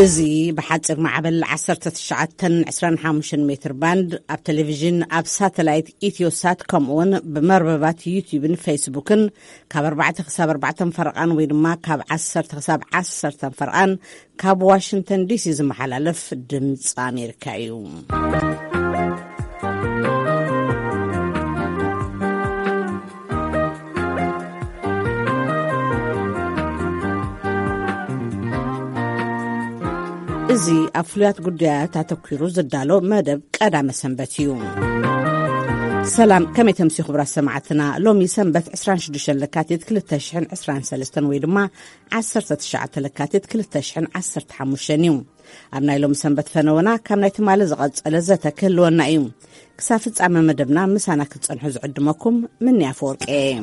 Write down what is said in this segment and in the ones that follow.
እዚ ብሓፂር ማዕበል ዓሰርተ ትሽዓተ ዕስራን ሓሙሽተን ሜትር ባንድ ኣብ ቴሌቪዥን፣ ኣብ ሳተላይት ኢትዮሳት፣ ከምኡውን ብመርበባት ዩቲዩብን ፌስቡክን ካብ ኣርባዕተ ክሳብ ኣርባዕተ ፈረቓን ወይ ድማ ካብ ዓሰርተ ክሳብ ዓሰርተ ፈረቓን ካብ ዋሽንግተን ዲሲ ዝመሓላለፍ ድምፂ ኣሜሪካ እዩ። እዚ ኣብ ፍሉያት ጉዳያት ኣተኲሩ ዝዳሎ መደብ ቀዳመ ሰንበት እዩ። ሰላም፣ ከመይ ተምሲ ክቡራት ሰማዕትና? ሎሚ ሰንበት ዕስራን ሽዱሽተን ለካቲት ክልተ ሽሕን ዕስራን ሰለስተን ወይ ድማ ዓሰርተ ትሽዓተ ለካቲት ክልተ ሽሕን ዓሰርተ ሓሙሽተን እዩ። ኣብ ናይ ሎሚ ሰንበት ፈነወና ካብ ናይ ትማሊ ዝቐጸለ ዘተ ክህልወና እዩ። ክሳብ ፍጻመ መደብና ምሳና ክትጸንሑ ዝዕድመኩም ምንያ ኣፈወርቂ እየ።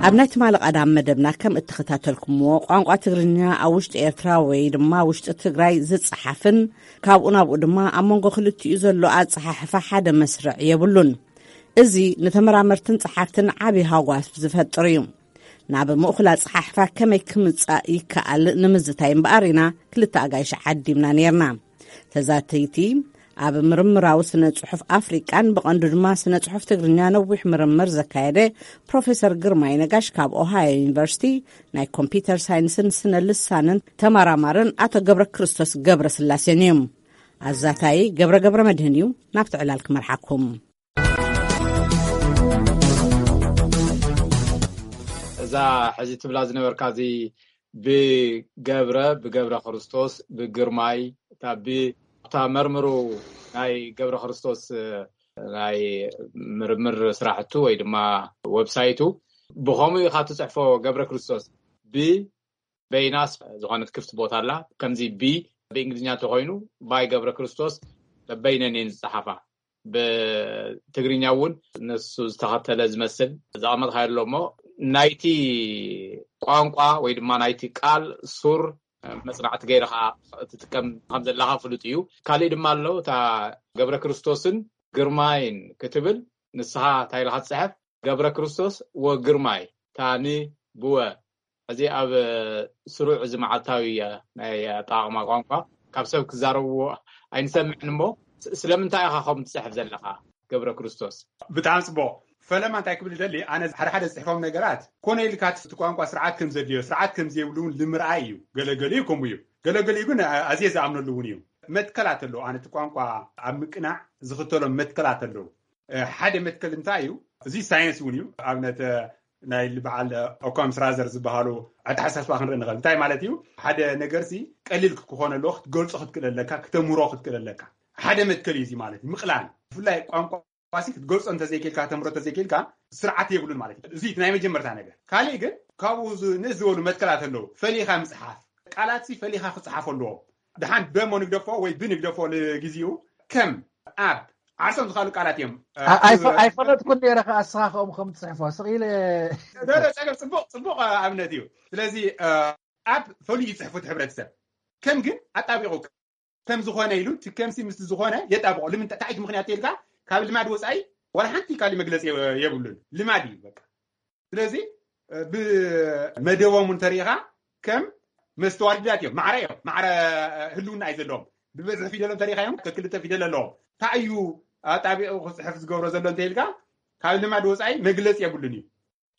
ኣብ ናይ ትማሊ ቀዳም መደብና ከም እተኸታተልኩምዎ፣ ቋንቋ ትግርኛ ኣብ ውሽጢ ኤርትራ ወይ ድማ ውሽጢ ትግራይ ዝጸሓፍን ካብኡ ናብኡ ድማ ኣብ መንጎ ክልቲኡ ዘሎ ኣጸሓሕፋ ሓደ መስርዕ የብሉን። እዚ ንተመራመርትን ጸሓፍትን ዓቢ ሃጓፍ ዝፈጥር እዩ። ናብ ምእኹል ኣጸሓሕፋ ከመይ ክምጻእ ይከኣል ንምዝታይ እምበኣር ኢና ክልተ ኣጋይሽ ዓዲምና ነይርና። ተዛተይቲ ኣብ ምርምራዊ ስነ ጽሑፍ ኣፍሪቃን ብቐንዱ ድማ ስነ ጽሑፍ ትግርኛ ነዊሕ ምርምር ዘካየደ ፕሮፌሰር ግርማይ ነጋሽ ካብ ኦሃዮ ዩኒቨርሲቲ ናይ ኮምፒውተር ሳይንስን ስነ ልሳንን ተመራማርን ኣቶ ገብረ ክርስቶስ ገብረ ስላሴን እዩ። ኣዛታይ ገብረ ገብረ መድህን እዩ። ናብቲ ዕላል ክመርሓኩም። እዛ ሕዚ ትብላ ዝነበርካ እዚ ብገብረ ብገብረ ክርስቶስ ብግርማይ እታ ብ- እታ መርምሩ ናይ ገብረ ክርስቶስ ናይ ምርምር ስራሕቱ ወይ ድማ ዌብሳይቱ ብኸምኡ ኢኻ ትፅሕፎ። ገብረ ክርስቶስ ብ በይናስ ዝኾነት ክፍት ቦታ ኣላ። ከምዚ ቢ ብእንግሊዝኛ እንተኾይኑ ባይ ገብረ ክርስቶስ በይነን እየን ዝፀሓፋ። ብትግርኛ እውን ንሱ ዝተኸተለ ዝመስል ዘቐመጥካ ኣሎ እሞ ናይቲ ቋንቋ ወይ ድማ ናይቲ ቃል ሱር መፅናዕቲ ገይረ ከዓ ትጥቀም ከም ዘለካ ፍሉጥ እዩ። ካሊእ ድማ ኣሎ እታ ገብረ ክርስቶስን ግርማይን ክትብል ንስኻ እንታይ ኢልካ ትፅሕፍ? ገብረ ክርስቶስ ወግርማይ ታኒ ብወ እዚ ኣብ ስሩዕ እዚ መዓልታዊ ናይ ኣጠቓቕማ ቋንቋ ካብ ሰብ ክዛረብዎ ኣይንሰምዕን እሞ ስለምንታይ ኢኻ ከም ትፅሕፍ ዘለኻ? ገብረ ክርስቶስ። ብጣዕሚ ፅቡቕ። ፈለማ እንታይ ክብል ደሊ ኣነ ሓደ ሓደ ዝፅሕፎም ነገራት ኮነ ኢልካ እቲ ቋንቋ ስርዓት ከም ዘድልዮ ስርዓት ከም ዘይብሉ እውን ንምርኣይ እዩ። ገለገሊኡ ከምኡ እዩ። ገለገሊኡ ግን ኣዝየ ዝኣምነሉ እውን እዩ። መትከላት ኣለዎ። ኣነ እቲ ቋንቋ ኣብ ምቅናዕ ዝኽተሎም መትከላት ኣለዉ። ሓደ መትከል እንታይ እዩ? እዚ ሳይንስ እውን እዩ። ኣብነት ናይ በዓል ኦካም ስራዘር ዝበሃሉ ኣተሓሳስባ ክንርኢ ንኽእል። እንታይ ማለት እዩ? ሓደ ነገር ሲ ቀሊል ክኾነ ኣለዎ ክትገልጾ ክትክእል ኣለካ፣ ክተምህሮ ክትክእል ኣለካ። ሓደ መትከል እዩ እዚ ማለት እዩ። ምቕላል ብፍላይ ቋንቋ ሲ ክትገልጾ እንተዘይክልካ፣ ከተምህሮ እንተዘይክልካ ስርዓት የብሉን ማለት እዩ። እዚ ናይ መጀመርታ ነገር። ካልእ ግን ካብኡ ንእስ ዝበሉ መትከላት ኣለዉ። ፈሊኻ ምፅሓፍ፣ ቃላት ሲ ፈሊኻ ክፅሓፍ ኣለዎም። ድሓን በሞ ንግደፎ ወይ ብንግደፎ ንግዚኡ ከም ኣብ ዓርሶም ዝካሉ ቃላት እዮም። ኣይፈለጥኩን ነረ ከ ኣስኻ ከምኡ ከም ትፅሕፎ ስቕ ኢለ። ጸገም ፅቡቅ ፅቡቅ ኣብነት እዩ። ስለዚ ኣብ ፈሊዩ ይፅሕፉ እቲ ሕብረተሰብ ከም ግን ኣጣቢቑ ከም ዝኾነ ኢሉ እቲ ከምሲ ምስ ዝኾነ የጣብቆ። ልምንታይ እንታይ ምክንያት ተልካ ካብ ልማድ ወፃኢ ዋላ ሓንቲ ካሊ መግለፂ የብሉን። ልማድ እዩ በቃ። ስለዚ ብመደቦም እንተሪኢኻ ከም መስተዋድዳት እዮም። ማዕረ እዮም። ማዕረ ህልውና እዩ ዘለዎም። ብበዝሒ ፊደሎም ተሪኢኻ እዮም ከክልተ ፊደል ኣለዎም። እንታይ እዩ ኣጣቢቑ ክፅሕፍ ዝገብሮ ዘሎ እንተኢልካ ካብ ልማድ ወፃኢ መግለፂ የብሉን እዩ።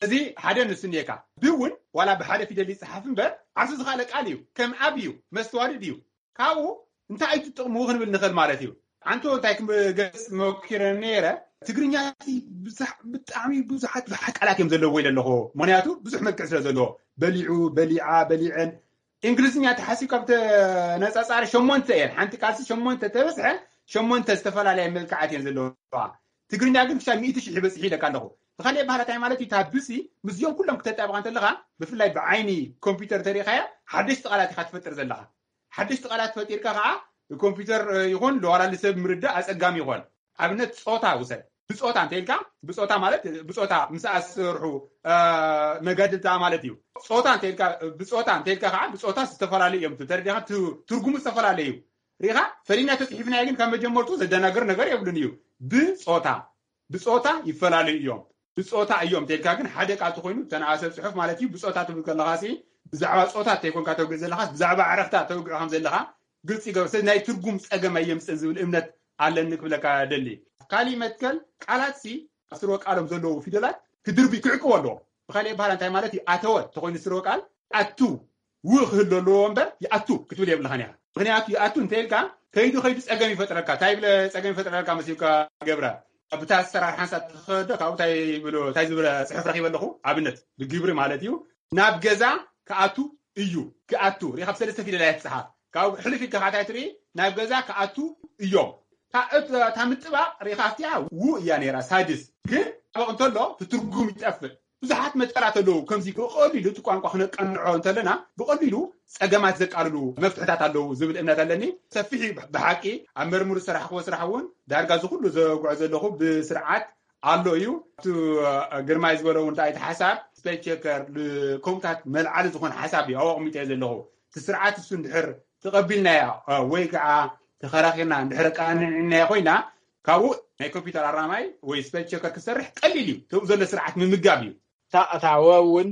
እዚ ሓደ ንሱ እኒኤካ። ብ እውን ዋላ ብሓደ ፊደል ይፅሓፍ እምበር ዓርሱ ዝኻለ ቃል እዩ። ከም ኣብ እዩ፣ መስተዋድድ እዩ። ካብኡ እንታይ እዩ ጥቕሙ ክንብል ንኽእል ማለት እዩ። ኣንቶ እንታይ ክገልፅ መኪረ ነይረ፣ ትግርኛ ብጣዕሚ ብዙሓት ብዙሓት ቃላት እዮም ዘለዎ ኢለ ኣለኹ። ምክንያቱ ብዙሕ መልክዕ ስለ ዘለዎ በሊዑ፣ በሊዓ፣ በሊዐን። እንግሊዝኛ ተሓሲብ ካብ ተነፃፃሪ ሸሞንተ እየን። ሓንቲ ቃልሲ ሸሞንተ ተበዝሐ ሸሞንተ ዝተፈላለያ መልክዓት እየን ዘለዋ። ትግርኛ ግን ክሻብ ሚእቲ ሽሕ ይበፅሕ ኢለካ ኣለኹ። ብካሊእ ባህላ እንታይ ማለት እዩ? እታ ብሲ ምስዚኦም ኩሎም ክተጣብቃ እንተለካ ብፍላይ ብዓይኒ ኮምፒውተር ተሪኢካያ ሓደሽቲ ቃላት ኢካ ትፈጥር ዘለካ። ሓደሽቲ ቃላት ፈጢርካ ከዓ ኮምፒውተር ይኹን ለዋላሊ ሰብ ምርዳእ ኣፀጋሚ ይኾን። ኣብነት ፆታ ውሰድ። ብፆታ እንተኢልካ ብፆታ ማለት ብፆታ ምስኣ ዝሰርሑ መጋድልታ ማለት እዩ። ፆታ እንተኢልካ ብፆታ እንተኢልካ ከዓ ብፆታ ዝተፈላለዩ እዮም ተረዲኻ ትርጉሙ ዝተፈላለዩ እዩ። ሪኻ ፈሊና ተፅሒፍናዮ ግን ካብ መጀመርቱ ዘደናገር ነገር የብሉን እዩ። ብፆታ ብፆታ ይፈላለዩ እዮም። ብፆታ እዮም ተልካ ግን ሓደ ቃል ተኮይኑ ተነኣሰ ፅሑፍ ማለት እዩ። ብፆታ ትብል ከለካ ሲ ብዛዕባ ፆታ እንተይኮንካ ተውግዕ ዘለኻስ ብዛዕባ ዕረኽታ ተውግዕ ከም ዘለኻ ግልፂ ይገብር። ስለዚ ናይ ትርጉም ፀገም ኣየምፅእን ዝብል እምነት ኣለኒ ክብለካ ደሊ። ካሊእ መትከል ቃላት ሲ ኣብ ስርወ ቃሎም ዘለዉ ፊደላት ክድርቢ ክዕቅቦ ኣለዎ። ብካሊእ በሃላ እንታይ ማለት እዩ? ኣተወ ተኮይኑ ስርወ ቃል ኣቱ ው ክህሉ ኣለዎ እምበር ይኣቱ ክትብል የብልኻን ኢኻ። ምክንያቱ ይኣቱ እንተ ኢልካ ከይዱ ከይዱ ፀገም ይፈጥረልካ። እንታይ ብለ ፀገም ይፈጥረልካ መሲልካ ገብረ? ብታ ኣሰራርሓ ሓንሳብ ትኸዶ ካብኡ እንታይ ይብሉ እንታይ ዝብለ ፅሑፍ ረኪበ ኣለኹ። ኣብነት ብግብሪ ማለት እዩ። ናብ ገዛ ክኣቱ እዩ። ክኣቱ ሪኢኻ ብሰለስተ ፊደል እያ ትፅሓፍ። ካብ ሕልፍ ኢልካ ካታይ ትርኢ ናብ ገዛ ክኣቱ እዮም። እታ ምጥባቕ ሪኢኻ ኣብቲኣ ው እያ ነይራ ሳድስ ግን ጥባቕ እንተሎ ትትርጉም ይጠፍእ። ብዙሓት መትከላት ኣለዉ። ከምዚ ብቐሊሉ እቲ ቋንቋ ክነቀንዖ እንተለና ብቐሊሉ ፀገማት ዘቃልሉ መፍትሕታት ኣለዉ ዝብል እምነት ኣለኒ። ሰፊሕ ብሓቂ ኣብ መርምሩ ዝሰራሕክዎ ስራሕ እውን ዳርጋ እዚ ኩሉ ዘጉዖ ዘለኹ ብስርዓት ኣሎ እዩ። እቲ ግርማይ ዝበሎ እውን እንታይ እቲ ሓሳብ ስፔል ቸከር ከምኡታት መልዓሊ ዝኾነ ሓሳብ እዩ ኣብኡ ኣቕሚጠ ዘለኹ። እቲ ስርዓት እሱ እንድሕር ተቐቢልናያ ወይ ከዓ ተኸራኺርና እንድሕር ኣቃኒዕናያ ኮይና ካብኡ ናይ ኮምፒውተር ኣራማይ ወይ ስፔል ቸከር ክሰርሕ ቀሊል እዩ። ተብኡ ዘሎ ስርዓት ምምጋብ እዩ። እታ ወ እውን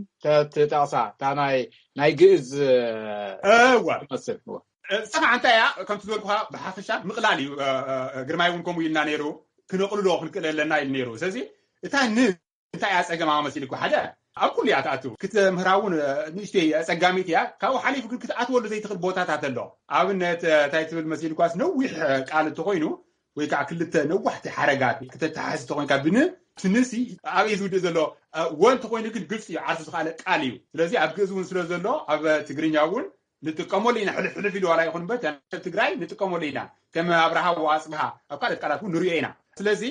ትጠቕሳ እታ ናይ ግእዝ እዋ መስል። እሳ ከዓ እንታይ እያ ከምቲ ዝበልኩኻ ብሓፈሻ ምቕላል እዩ። ግርማይ እውን ከምኡ ኢልና ነይሩ። ክነቕልሎ ክንክእል ኣለና ኢሉ ነይሩ። ስለዚ እታ ን እንታይ እያ ፀገማ መሲልኩ ሓደ ኣብ ኩሉ እያ ትኣትው ክትምህራ እውን ንእሽተይ ፀጋሚት እያ። ካብኡ ሓሊፉ ግን ክትኣትወሉ ዘይትኽእል ቦታታት ኣሎ። ኣብነት እንታይ ትብል መሲልኳስ ነዊሕ ቃል እንተኮይኑ ወይ ከዓ ክልተ ነዋሕቲ ሓረጋት ክተተሓዝ ተኮይንካ ብን ትንሲ ኣበይ ዝውድእ ዘሎ ወ እንተኮይኑ ግን ግልፂ እዩ ዓርሱ ዝካኣለ ቃል እዩ። ስለዚ ኣብ ግእዝ እውን ስለ ዘሎ ኣብ ትግርኛ እውን ንጥቀመሉ ኢና። ሕልፍ ሕልፍ ኢሉ ዋላ ይኹን በር ትግራይ ንጥቀመሉ ኢና። ከም ኣብርሃ ወኣፅብሃ ኣብ ካልኦት ቃላት እውን ንሪኦ ኢና። ስለዚ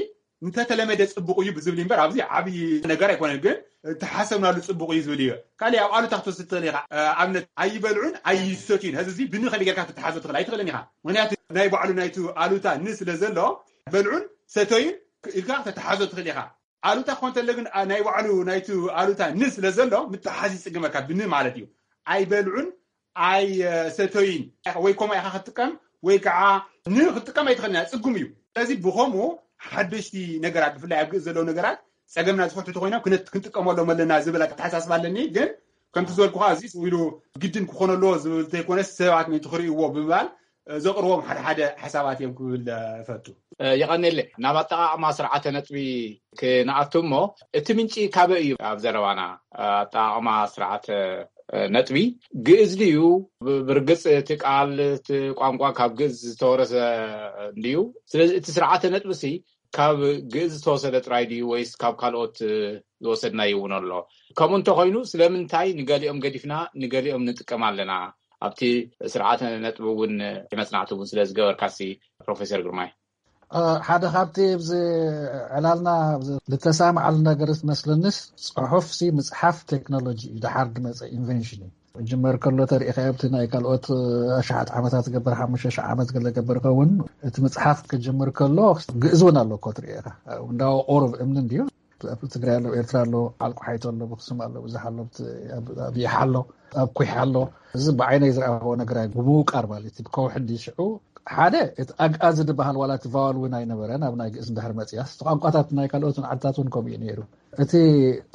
እንተተለመደ ፅቡቕ እዩ ብዝብል እምበር ኣብዚ ዓብዪ ነገር ኣይኮነን። ግን ተሓሰብናሉ ፅቡቕ እዩ ዝብል እዩ። ካሊእ ኣብ ኣሉታ ክትወስድ ትኽእል ኢኻ። ኣብነት ኣይበልዑን ኣይሰትዩን። ሕዚ እዚ ብን ከመይ ጌርካ ክትተሓዞ ትኽእል ኣይትኽእልን ኢኻ። ምክንያቱ ናይ ባዕሉ ናይቲ ኣሉታ ን ስለ ዘሎ በልዑን ሰተዩን ኢልካ ከተተሓዞ ትኽእል ኢኻ። ኣሉታ ክኾን ተለ ግን ናይ ባዕሉ ናይቲ ኣሉታ ን ስለ ዘሎ ምትሓዝ ይፅግመካ። ብን ማለት እዩ። ኣይበልዑን ኣይሰተዩን ወይ ኮማ ኢኻ ክትጥቀም ወይ ከዓ ን ክትጥቀም ኣይትኽእልን እያ። ፅጉም እዩ። ስለዚ ብኸምኡ ሓደሽቲ ነገራት ብፍላይ ኣብ ግእዝ ዘለዉ ነገራት ፀገምና ዝፈትሑ ተኮይኖም ክንጥቀመሎም ኣለና ዝብል ኣተሓሳስባ ኣለኒ። ግን ከምቲ ዝበልኩኻ እዚ ኢሉ ግድን ክኾነ ኣለዎ ዝብል ዘይኮነስ ሰባት ምእንቲ ክርእይዎ ብምባል ዘቕርቦም ሓደ ሓደ ሓሳባት እዮም ክብል እፈቱ። የቐኔለ ናብ ኣጠቓቕማ ስርዓተ ነጥቢ ክንኣቱ እሞ እቲ ምንጪ ካበይ እዩ? ኣብ ዘረባና ኣጠቓቕማ ስርዓተ ነጥቢ ግእዝ ድዩ? ብርግፅ እቲ ቃል እቲ ቋንቋ ካብ ግእዝ ዝተወረሰ እንድዩ። ስለዚ እቲ ስርዓተ ነጥቢ ሲ ካብ ግእዝ ዝተወሰደ ጥራይ ድዩ ወይስ ካብ ካልኦት ዝወሰድናዮ እውን ኣሎ? ከምኡ እንተኮይኑ ስለምንታይ ንገሊኦም ገዲፍና ንገሊኦም ንጥቀም ኣለና? ኣብቲ ስርዓተ ነጥቢ እውን መፅናዕቲ እውን ስለ ዝገበርካሲ ፕሮፌሰር ግርማይ። ሓደ ካብቲ ኣብዚ ዕላልና ዝተሳምዓሉ ነገር መስለንስ ፅሑፍ ሲ ምፅሓፍ ቴክኖሎጂ እዩ። ደሓር ዝመፀ ኢንቨንሽን እዩ። ጅመር ከሎ ተሪኢኻ ኣብቲ ናይ ካልኦት ኣሽሓት ዓመታት ገበር ሓሙሽተ ሽሕ ዓመት ገለ ገበር ከውን እቲ ምፅሓፍ ክጅምር ከሎ ግእዝ እውን ኣሎ እኮ ትሪኦ ኢኻ። እንዳው ኦሮብ እምኒ እንድዩ ትግራይ ኣሎ ኤርትራ ኣሎ ዓልቁ ሓይቶ ኣሎ ብክስም ኣሎ ብዙሕ ኣሎ ኣብ ይሓ ኣሎ ኣብ ኩሕ ኣሎ። እዚ ብዓይነይ ዝረኣኽዎ ነገር ብምውቃር ማለት እዩ ከውሒ እንዲ ሽዑ ሓደ እቲ ኣግኣዚ ዝበሃል ዋላ እቲ ቫዋል እውን ኣይነበረን ኣብ ናይ ግእዝ እንድሕር መፅያስ እቲ ቋንቋታት ናይ ካልኦትን ዓድታት እውን ከምኡ እዩ ነይሩ። እቲ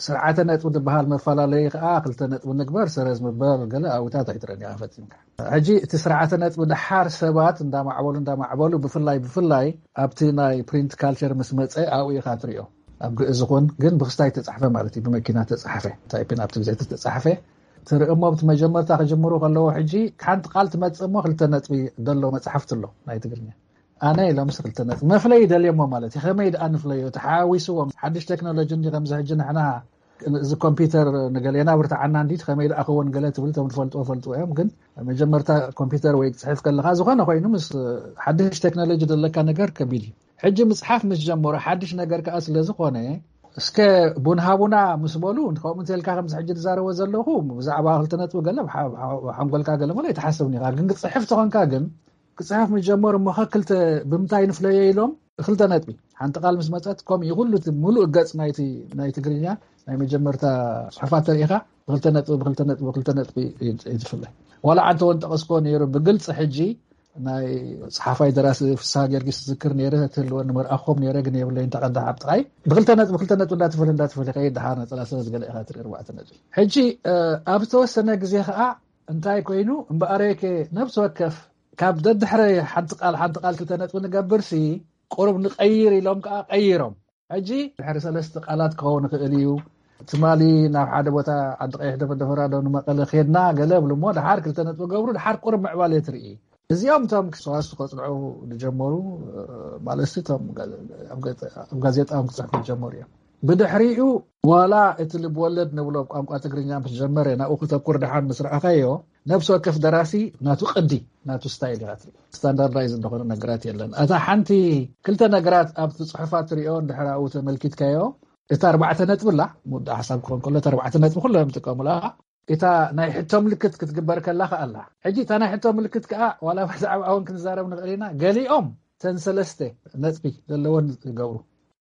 ስርዓተ ነጥቢ ዝበሃል መፈላለዩ ከዓ ክልተ ነጥቢ ንግበር ሰረዝ ምበል ገለ ኣብታት ኣይትረኒኻ ፈፂምካ። ሕጂ እቲ ስርዓተ ነጥቢ ደሓር ሰባት እንዳማዕበሉ እንዳማዕበሉ ብፍላይ ብፍላይ ኣብቲ ናይ ፕሪንት ካልቸር ምስ መፀ ኣብኡ ኢኻ ትሪኦ። ኣብ ግእዝ ይኹን ግን ብክስታይ ተፃሕፈ ማለት እዩ ብመኪና ተፃሕፈ ታይፒን ኣብቲ ግዜ ተፃሕፈ ትርኢ እሞ ኣብቲ መጀመርታ ክጅምሩ ከለዎ ሕጂ ሓንቲ ቃል ትመፅእ እሞ ክልተ ነጥቢ ደሎ መፅሓፍቲ ኣሎ ናይ ትግርኛ ኣነ ኢሎም ክልተ ነጥቢ መፍለይ ደልየሞ ማለት እዩ ከመይ ደኣ ንፍለዮ ተሓዋዊስዎም ሓድሽ ቴክኖሎጂ እንዲ ከምዚ ሕጂ ንሕና እዚ ኮምፒውተር ንገሌና ብርትዓና እንዲ ከመይ ደኣ ክወን ገለ ትብል እቶም ዝፈልጥዎ ፈልጥዎ እዮም ግን መጀመርታ ኮምፒውተር ወይ ክፅሕፍ ከለካ ዝኾነ ኮይኑ ምስ ሓድሽ ቴክኖሎጂ ዘለካ ነገር ከቢድ እዩ ሕጂ ምፅሓፍ ምስ ጀመሩ ሓድሽ ነገር ከዓ ስለዝኾነ እስከ ቡን ሃቡና ምስ በሉ ከምኡ እንተልካ ከምዚ ሕጂ ዝዛረቦ ዘለኹ ብዛዕባ ክልተ ነጥቢ ገለ ሓንጎልካ ገለ መለ ኣይትሓስብን ኢኻ ግን ክፅሕፍ ተኾንካ ግን ክፅሕፍ ምስ ጀመሩ እሞ ከክልተ ብምንታይ ንፍለዮ ኢሎም ክልተ ነጥቢ ሓንቲ ቃል ምስ መፀት ከምኡ ኩሉ እቲ ሙሉእ ገፅ ናይ ትግርኛ ናይ መጀመርታ ፅሑፋት ተሪኢኻ ብክልተ ነጥቢ ብክልተ ነጥቢ ብክልተ ነጥቢ እዩ ዝፍለ ዋላ ዓንተ እውን ጠቐስኮ ነይሩ ብግልፂ ሕጂ ናይ ጸሓፋይ ደራሲ ፍስሃ ጊዮርጊስ ዝዝክር ነይረ፣ ትህልወኒ መርኣኹም ነይረ፣ ግን የብለይ እንተ ቀዳሕ ኣብ ጥቓይ። ብክልተ ነጥቢ፣ ክልተ ነጥቢ እንዳተፈለ፣ እንዳተፈለ ከይድ፣ ደሓር ነጸላ ሰረዝ ገለ ኢኻ ትርኢ፣ ኣርባዕተ ነጥቢ። ሕጂ፣ እ፣ ኣብ ዝተወሰነ ግዜ ኸኣ እንታይ ኮይኑ፣ እምበኣረይከ ነብሲ ወከፍ ካብ ደድሕረ ሓንቲ ቃል፣ ሓንቲ ቃል ክልተ ነጥቢ ንገብርሲ፣ ቁሩብ ንቀይር ኢሎም ከኣ ቀይሮም። ሕጂ ድሕሪ ሰለስተ ቃላት ክኸውን ይኽእል እዩ። ትማሊ ናብ ሓደ ቦታ ዓዲ ቀይሕ ደፈደፈራ ዶ ንመቐለ ኬድና ገለ ብሉ እሞ፣ ደሓር ክልተ ነጥቢ ገብሩ፣ ደሓር ቁሩብ ምዕባለ ትርኢ። እዚኦም እቶም ሰዋስው ከጽንዑ ዝጀመሩ፣ እ፣ ማለት እቶም ጋ-፣ ኣብ ገ-፣ ኣብ ጋዜጣ ክጽሕፉ ዝጀመሩ እዮም። ብድሕሪኡ ዋላ እቲ ልብ ወለድ ንብሎ ቋንቋ ትግርኛ ምስ ጀመረ፣ ናብኡ ክተኩር ደሓን ምስ ረኣኻዮ፣ ነብሲ ወከፍ ደራሲ ናቱ ቅዲ፣ ናቱ ስታይል ኢኻ ትርኢ። ስታንዳርዳይዝ እንደኾነ ነገራት የለን። እታ ሓንቲ ክልተ ነገራት ኣብቲ ጽሑፋት ትሪኦ እንድሕር ኣብኡ ተመልኪትካዮ፣ እታ ኣርባዕተ ነጥቢ ኣላ፣ ምውዳእ ሓሳብ ክኾን ከሎ፣ እታ ኣርባዕተ ነጥቢ ኩሎም ይጥቀሙላ። እታ ናይ ሕቶ ምልክት ክትግበር ከላ ከኣ ኣላ። ሕጂ እታ ናይ ሕቶ ምልክት ከኣ ዋላ ብዛዕባ እውን ክንዛረብ ንኽእል ኢና። ገሊኦም ተን ሰለስተ ነጥቢ ዘለወን ይገብሩ።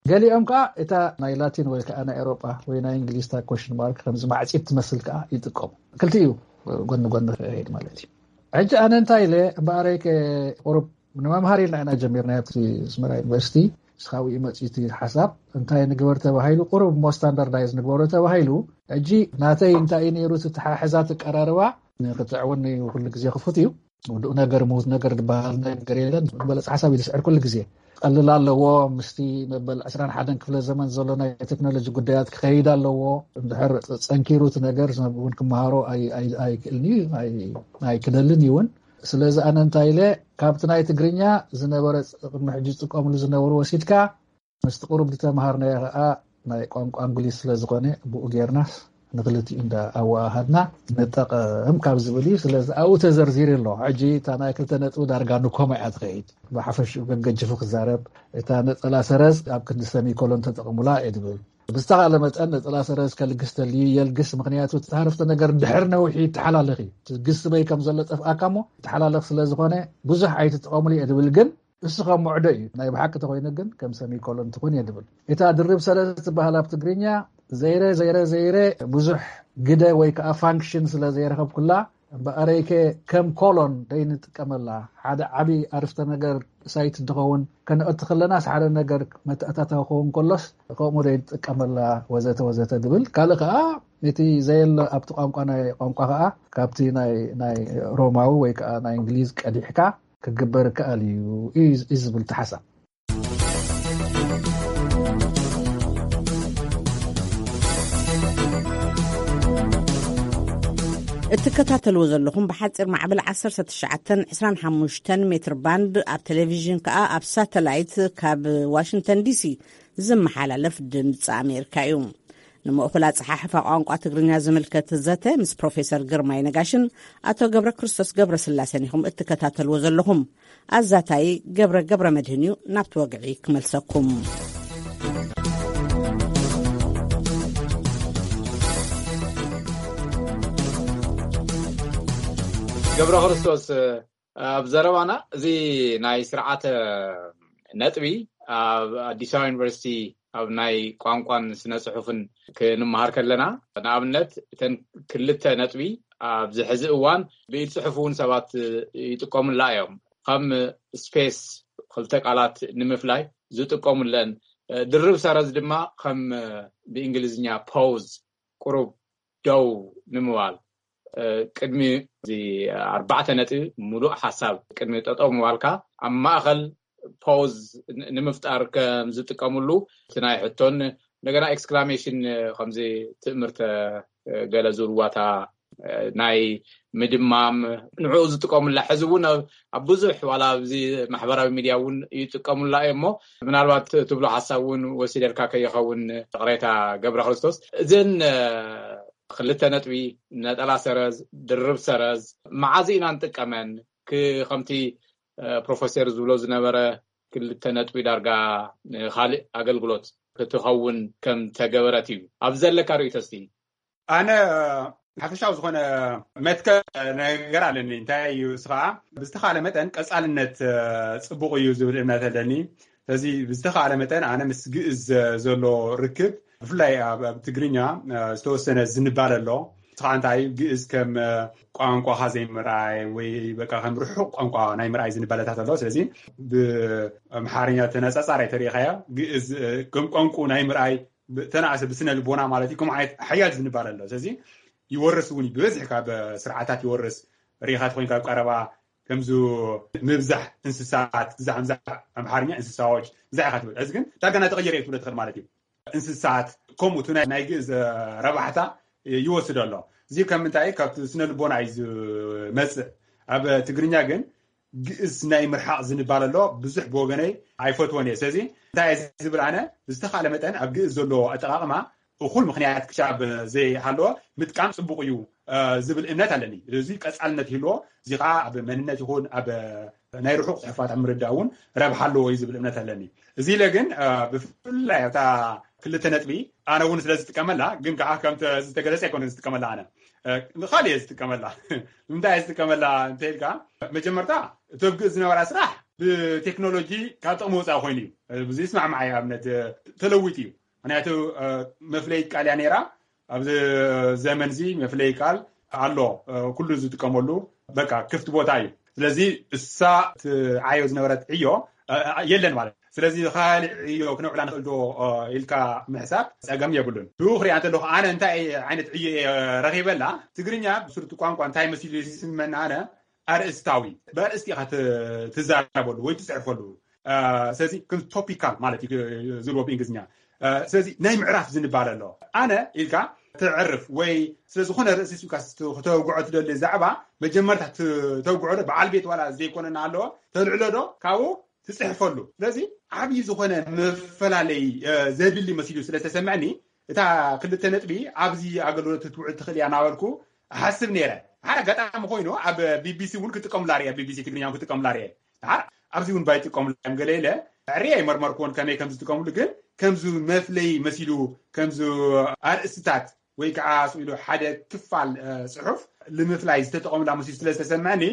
ገሊኦም ከኣ እታ ናይ ላቲን ወይ ከኣ ናይ ኤውሮጳ ወይ ናይ እንግሊዝ እታ ኮሽን ማርክ ከምዚ ማዕጺድ ትመስል ከኣ ይጥቀሙ። ክልቲኡ ጎኒ ጎኒ ክሄድ ማለት እዩ። ሕጂ ኣነ እንታይ ኢለ እምበኣረይ ከ-፣ ቁሩብ ንመምሃር ኢልና ኢና ጀሚርና ኣብቲ ኣስመራ ዩኒቨርሲቲ። ንስኻ ኣብኡ መጺኡ እቲ ሓሳብ እንታይ ንግበር ተባሂሉ፣ ቁሩብ እሞ ስታንዳርዳይዝ ንግበሮ ተባሂሉ። ሕጂ ናተይ እንታይ እዩ ነይሩ፣ እቲ ተሓሕዛት ኣቀራርባ ንክትዕውኒ ኩሉ ግዜ ክፉት እዩ። ውዱእ ነገር ምዉት ነገር ዝበሃል ነገር የለን። ዝበለጸ ሓሳብ እዩ ዝስዕር ኩሉ ግዜ። ቀልል ኣለዎ፣ ምስቲ መበል ዕስራን ሓደን ክፍለ ዘመን ዘሎ ናይ ቴክኖሎጂ ጉዳያት ክኸይድ ኣለዎ። እንድሕር ጸንኪሩ እቲ ነገር ሰብ እውን ክመሃሮ ኣይ-፣ ኣይ-፣ ኣይክእልን እዩ፣ ኣይ-፣ ኣይክደልን እዩ እውን። ስለዚ ኣነ እንታይ ኢለ፣ ካብቲ ናይ ትግርኛ ዝነበረ፣ ቅድሚ ሕጂ ዝጥቀምሉ ዝነበሩ ወሲድካ፣ ምስቲ ቁሩብ ዝተምሃርናዮ ኸኣ ናይ ቋንቋ እንግሊዝ ስለ ዝኾነ፣ ብኡ ጌርናስ ንክልቲኡ እንዳ ኣወሃሃድና ንጠቐም ካብ ዝብል እዩ። ስለዚ ኣብኡ ተዘርዚሩ ኣሎ። ሕጂ እታ ናይ ክልተ ነጥቢ ዳርጋ ንኮማ እያ ትኸይድ። ብሓፈሽኡ ገገጅፉ ክዛረብ፣ እታ ነጸላ ሰረዝ ኣብ ክንዲ ሰሚኮሎን ተጠቕሙላ እየ ዝብል። ብዝተኻለ መጠን ነጸላ ሰረዝ ከልግስ ተልዩ የልግስ። ምኽንያቱ እቲ ዓረፍተ ነገር ድሕር ነዊሑ ይተሓላለኽ እዩ። እቲ ግስ በይ ከም ዘሎ ጠፍኣካ እሞ ይተሓላለኽ ስለ ዝኾነ ብዙሕ ኣይትጠቐሙሉ እየ ዝብል። ግን እሱ ከም ሙዕዶ እዩ። ናይ ብሓቂ ተኾይኑ ግን ከም ሰሚኮሎን ትኹን እየ ዝብል። እታ ድርብ ሰረዝ ትበሃል ኣብ ትግርኛ ዘይረ፣ ዘይረ፣ ዘይረ ብዙሕ ግደ ወይ ከዓ ፋንክሽን ስለ ዘይረኸብኩላ፣ እምበኣረይከ ከም ኮሎን ደይንጥቀመላ፣ ሓደ ዓቢ ኣርፍተ ነገር ሳይት እንትኸውን፣ ከነእቲ ከለናስ ሓደ ነገር መተኣታታዊ ክኸውን ከሎስ ከምኡ ደይንጥቀመላ፣ ወዘተ ወዘተ ዝብል። ካልእ ከዓ እቲ ዘየለ ኣብቲ ቋንቋ፣ ናይ ቋንቋ ከዓ ካብቲ ናይ፣ ናይ ሮማዊ ወይ ከዓ ናይ እንግሊዝ ቀዲሕካ ክግበር ይከኣል እዩ፣ እዩ፣ እዩ ዝብል እቲ ሓሳብ። እትከታተልዎ ዘለኹም ብሓፂር ማዕበል ዓሰርተ ትሽዓተን ዕስራን ሓሙሽተን ሜትር ባንድ፣ ኣብ ቴሌቪዥን ከዓ ኣብ ሳተላይት ካብ ዋሽንግተን ዲሲ ዝመሓላለፍ ድምፂ ኣሜሪካ እዩ። ንምእኹል ኣፀሓሕፋ ቋንቋ ትግርኛ ዝምልከት ዘተ ምስ ፕሮፌሰር ግርማይ ነጋሽን ኣቶ ገብረ ክርስቶስ ገብረ ስላሴን ኢኹም እትከታተልዎ ዘለኹም። ኣዛታይ ገብረ ገብረ መድህን እዩ። ናብቲ ወግዒ ክመልሰኩም። ገብረ ክርስቶስ፣ ኣብ ዘረባና እዚ ናይ ስርዓተ ነጥቢ ኣብ ኣዲስ ኣበባ ዩኒቨርሲቲ ኣብ ናይ ቋንቋን ስነ ጽሑፍን ክንመሃር ከለና፣ ንኣብነት እተን ክልተ ነጥቢ ኣብዚ ሕዚ እዋን ብኢድ ጽሑፍ እውን ሰባት ይጥቀሙላ እዮም። ከም ስፔስ፣ ክልተ ቃላት ንምፍላይ ዝጥቀሙለን፣ ድርብ ሰረዝ ድማ ከም ብእንግሊዝኛ ፖዝ፣ ቁሩብ ደው ንምባል፣ ቅድሚ እዚ ኣርባዕተ ነጥቢ ምሉእ ሓሳብ ቅድሚ ጠጠው ምባልካ ኣብ ማእኸል ፖዝ ንምፍጣር ከም ዝጥቀምሉ እቲ ናይ ሕቶን እንደገና ኤክስክላሜሽን ከምዚ ትእምርተ ገለ ዝብልዋታ ናይ ምድማም ንዕኡ ዝጥቀሙላ። ሕዚ እውን ኣብ ብዙሕ ዋላ ኣብዚ ማሕበራዊ ሚድያ እውን ይጥቀሙላ እዮም። እሞ ምናልባት ትብሎ ሓሳብ እውን ወሲደልካ ከይኸውን ቅሬታ ገብረ ክርስቶስ። እዘን ክልተ ነጥቢ፣ ነጠላ ሰረዝ፣ ድርብ ሰረዝ መዓዝ ኢና ንጥቀመን? ከምቲ ፕሮፌሰር ዝብሎ ዝነበረ ክልተ ነጥቢ ዳርጋ ንካልእ ኣገልግሎት ክትኸውን ከም ተገበረት እዩ ኣብ ዘለካ ርእይቶ እስቲ። ኣነ ሓፈሻዊ ዝኾነ መትከል ነገር ኣለኒ። እንታይ እዩ እሱ ከዓ ብዝተኻለ መጠን ቀፃልነት ፅቡቕ እዩ ዝብል እምነት ኣለኒ። ስለዚ ብዝተኻለ መጠን ኣነ ምስ ግእዝ ዘሎ ርክብ ብፍላይ ኣብ ትግርኛ ዝተወሰነ ዝንባለ ኣሎ። እቲ ከዓ እንታይ እዩ? ግእዝ ከም ቋንቋኻ ዘይምርኣይ ወይ በቃ ከም ርሑቕ ቋንቋ ናይ ምርኣይ ዝንባለታት ኣሎ። ስለዚ ብኣምሓርኛ ተነፃፃር ኣይተሪኢኻዮ፣ ግእዝ ከም ቋንቋ ናይ ምርኣይ ተናእሰ ብስነ ልቦና ማለት እዩ። ከም ዓይነት ሓያል ዝንባለ ኣሎ። ስለዚ ይወርስ እውን እዩ፣ ብበዝሒ ካብ ስርዓታት ይወርስ። ርኢኻ ተኮይንካ ኣብ ቀረባ ከምዚ ምብዛሕ እንስሳት፣ ብዛሕ ምዛሕ ኣምሓርኛ እንስሳዎች ብዛሕ ኢኻ ትብል። እዚ ግን ዳርጋ እናተቐየረ እዩ ትብሎ ትኽእል ማለት እዩ። እንስሳት ከምኡ እቲ ናይ ግእዝ ረባሕታ ይወስድ ኣሎ። እዚ ከም ምንታይ ካብቲ ስነ ልቦና እዩ ዝመፅእ። ኣብ ትግርኛ ግን ግእዝ ናይ ምርሓቕ ዝንባል ኣሎ። ብዙሕ ብወገነይ ኣይፈትወን እየ። ስለዚ እንታይ እየ ዝብል ኣነ ብዝተኻለ መጠን ኣብ ግእዝ ዘሎ ኣጠቓቕማ እኹል ምኽንያት ክሻብ ዘይሃለወ ምጥቃም ፅቡቕ እዩ ዝብል እምነት ኣለኒ። እዚ ቀፃልነት ይህልዎ። እዚ ከዓ ኣብ መንነት ይኹን ኣብ ናይ ርሑቕ ፅሑፋት ኣብ ምርዳእ እውን ረብሓ ኣለዎ እዩ ዝብል እምነት ኣለኒ። እዚ ኢለ ግን ብፍላይ ኣብታ ክልተ ነጥቢ ኣነ እውን ስለ ዝጥቀመላ፣ ግን ከዓ ከምቲ ዝተገለፀ ኣይኮነ ዝጥቀመላ ኣነ፣ ንካል እየ ዝጥቀመላ። ንምንታይ እየ ዝጥቀመላ እንተኢልካ፣ መጀመርታ እቲ ኣብ ግእዝ ዝነበራ ስራሕ ብቴክኖሎጂ ካብ ጥቕሚ ወፃኢ ኮይኑ እዩ። ብዙ ይስማዕማዕ እየ። ኣብነት ተለዊጡ እዩ። ምክንያቱ መፍለይ ቃል እያ ነይራ። ኣብዚ ዘመን እዚ መፍለይ ቃል ኣሎ፣ ኩሉ ዝጥቀመሉ በቃ ክፍት ቦታ እዩ። ስለዚ እሳ ትዓዮ ዝነበረት ዕዮ የለን ማለት። ስለዚ ካልእ ዕዮ ክነውዕላ ንኽእል ዶ ኢልካ ምሕሳብ ፀገም የብሉን። ብኡ ክሪኣ እንተለኹ ኣነ እንታይ ዓይነት ዕዮ እየ ረኺበላ? ትግርኛ ብስሩቲ ቋንቋ እንታይ መሲሉ ይስመና ኣነ ኣርእስታዊ፣ ብኣርእስቲ ኢኻ ትዛረበሉ ወይ ትፅሕፈሉ። ስለዚ ከም ቶፒካል ማለት እዩ ዝብሎ ብእንግሊዝኛ። ስለዚ ናይ ምዕራፍ ዝንባለ ኣሎ። ኣነ ኢልካ ተዕርፍ ወይ ስለ ዝኾነ ርእሲ ስብካ ክተውግዖ ትደሊ ዛዕባ መጀመርታ ተውግዖ ዶ በዓል ቤት ዋላ ዘይኮነና ኣለዎ ተልዕሎ ዶ ካብኡ ትፅሕፈሉ። ስለዚ ዓብዪ ዝኾነ መፈላለይ ዘድሊ መሲሉ ስለተሰምዐኒ እታ ክልተ ነጥቢ ኣብዚ ኣገልግሎት ክትውዕል ትኽእል እያ እናበልኩ እሓስብ ነይረ። ሓደ ኣጋጣሚ ኮይኑ ኣብ ቢቢሲ እውን ክጥቀሙላ ርየ፣ ቢቢሲ ትግርኛ እውን ክጥቀሙላ ርየ። ድሓር ኣብዚ እውን ባይጥቀሙላ እዮም ገለ ኢለ ዕርየ ኣይመርመርኩዎን ከመይ ከም ዝጥቀሙሉ፣ ግን ከምዚ መፍለይ መሲሉ ከምዚ ኣርእስትታት ወይ ከዓ ስኢሉ ሓደ ክፋል ፅሑፍ ንምፍላይ ዝተጠቐሙላ መሲሉ ስለ ዝተሰምዐኒ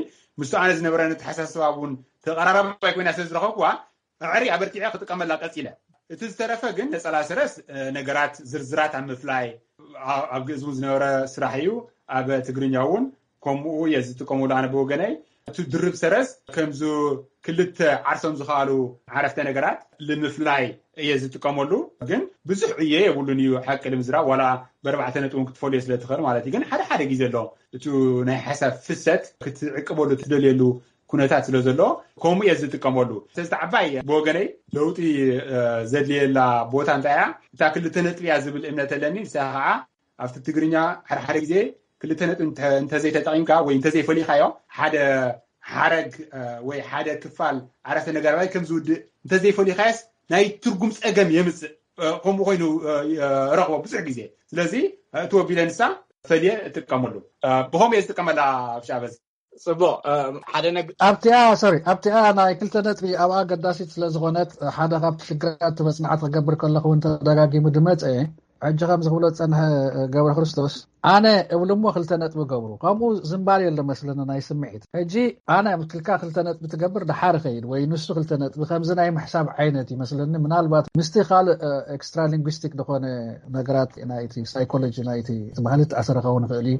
ምስቲ ኣነ ዝነበረን ኣተሓሳስባ እውን ተቐራራባይ ኮይና ስለ ዝረኸብኩዋ ኣዕሪ ኣበርቲዐ ክጥቀመላ ቀፂለ። እቲ ዝተረፈ ግን ነፀላ ሰረስ ነገራት ዝርዝራት ኣብ ምፍላይ ኣብ ግእዝ እውን ዝነበረ ስራሕ እዩ። ኣብ ትግርኛ እውን ከምኡ እየ ዝጥቀመሉ ኣነ ብወገነይ። እቲ ድርብ ሰረስ ከምዚ ክልተ ዓርሶም ዝኸኣሉ ዓረፍተ ነገራት ንምፍላይ እየ ዝጥቀመሉ። ግን ብዙሕ ዕየ የብሉን እዩ ሓቂ ንምዝራብ፣ ዋላ ብኣርባዕተ ነጥቢ እውን ክትፈልዮ ስለ ትኽእል ማለት እዩ። ግን ሓደ ሓደ ግዜ ኣሎ እቲ ናይ ሓሳብ ፍሰት ክትዕቅበሉ ትደልየሉ ኩነታት ስለ ዘሎ ከምኡ እየ ዝጥቀመሉ። ስለዚ ዓባይ ብወገነይ ለውጢ ዘድልየላ ቦታ እንታይ እያ? እታ ክልተ ነጥቢ እያ ዝብል እምነት ኣለኒ። ንሳ ከዓ ኣብቲ ትግርኛ ሓደ ሓደ ግዜ ክልተ ነጥቢ እንተዘይተጠቒምካ ወይ እንተዘይፈሊኻዮ ሓደ ሓረግ ወይ ሓደ ክፋል ዓረፍተ ነገር ኣባይ ከም ዝውድእ እንተዘይፈሊኻዮስ ናይ ትርጉም ፀገም የምፅእ። ከምኡ ኮይኑ ረኽቦ ብዙሕ ግዜ። ስለዚ እቲ ወቢለ ንሳ ፈልየ እጥቀመሉ። ብኸምኡ እየ ዝጥቀመላ። ኣብ ሻበዝ ፅቡቅ። ሓደ ኣብቲኣ ሶሪ ኣብቲኣ ናይ ክልተ ነጥቢ ኣብኣ ኣገዳሲት ስለዝኾነት ሓደ ካብቲ ሽግራት መፅናዕቲ ክገብር ከለኹ እውን ተደጋጊሙ ድመፀ። ሕጂ ከም ዝኽብሎ ዝፀንሐ ገብረ ክርስቶስ ኣነ እብልሞ ክልተ ነጥቢ ገብሩ ከምኡ ዝምባል የለ መስለኒ ናይ ስምዒት። ሕጂ ኣነ ክልካ ክልተ ነጥቢ ትገብር ድሓር ኸይድ ወይ ንሱ ክልተ ነጥቢ ከምዚ ናይ ምሕሳብ ዓይነት ይመስለኒ። ምናልባት ምስቲ ካልእ ኤክስትራ ሊንጉስቲክ ዝኾነ ነገራት ናይቲ ሳይኮሎጂ ናይቲ ባህሊ ተኣሰረ ክኸውን ይኽእል እዩ።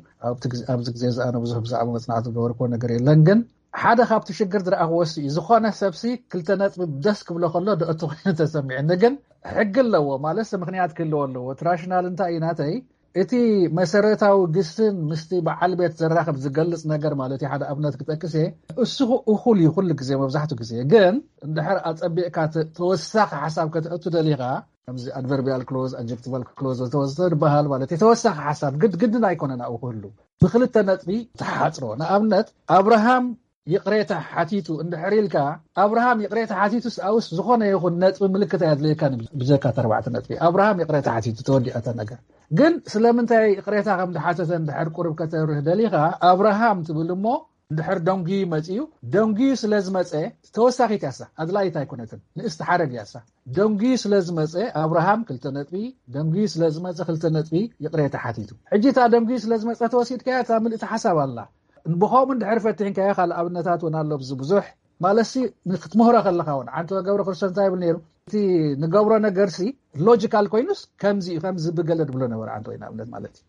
ኣብዚ ግዜ እዚ ኣነ ብዙሕ ብዛዕባ መፅናዕቲ ዝገበርኩዎ ነገር የለን። ግን ሓደ ካብቲ ሽግር ዝረኣኽዎ ሲ ዝኾነ ሰብሲ ክልተ ነጥቢ ደስ ክብሎ ከሎ ደእቱ ኮይኑ ተሰሚዕኒ። ግን ሕጊ ኣለዎ ማለት ምክንያት ክህልዎ ኣለዎ። እቲ ራሽናል እንታይ እዩ ናተይ እቲ መሰረታዊ ግስን ምስቲ በዓል ቤት ዘራኽብ ዝገልፅ ነገር ማለት እዩ። ሓደ ኣብነት ክጠቅስ እየ። እሱ እኹል እዩ ኩሉ ግዜ መብዛሕቱ ግዜ። ግን እንድሕር ኣፀቢቕካ ተወሳኺ ሓሳብ ከተእቱ ደሊኻ ከምዚ ኣድቨርቢያል ክሎዝ ኣጀክቲቫል ክሎዝ ዝተወሰደ ዝበሃል ማለት ተወሳኺ ሓሳብ ግድ ግድን ኣይኮነን ኣብኡ ክህሉ ብክልተ ነጥቢ ተሓፅሮ። ንኣብነት ኣብርሃም ይቕሬታ ሓቲቱ እንድሕር ኢልካ ኣብርሃም ይቕሬታ ሓቲቱ ስኣውስ ዝኾነ ይኹን ነጥቢ ምልክት ኣየድልየካ። ብዘካ ተርባዕተ ነጥቢ ኣብርሃም ይቕሬታ ሓቲቱ ተወዲኣታ ነገር። ግን ስለምንታይ ይቕሬታ ከም ድሓተተ እንድሕር ቁርብ ከተብርህ ደሊኻ ኣብርሃም ትብል እሞ እንድሕር ደንጉዩ መፅዩ ደንጉዩ ስለ ዝመፀ ተወሳኺት ያሳ ኣድላይት ኣይኮነትን። ንእስቲ ሓረግ ያሳ ደንጉዩ ስለ ዝመፀ ኣብርሃም ክልተ ነጥቢ ደንጉዩ ስለ ዝመፀ ክልተ ነጥቢ ይቕሬታ ሓቲቱ። ሕጂ እታ ደንጉዩ ስለ ዝመፀ ተወሲድካያ እታ ምልእቲ ሓሳብ ኣላ። ብኸምኡ እንድሕር ፈቲሕንካዮ ካልእ ኣብነታት እውን ኣሎ። ብዚ ብዙሕ ማለትሲ ክትምህሮ ከለኻ እውን ዓንቶ ገብረ ክርስቶስ እንታይ ይብል ነይሩ? እቲ ንገብሮ ነገርሲ ሎጂካል ኮይኑስ ከምዚ እዩ ከምዚ ብገለ ድብሎ ነበረ ዓንቶ ንኣብነት ማለት እዩ።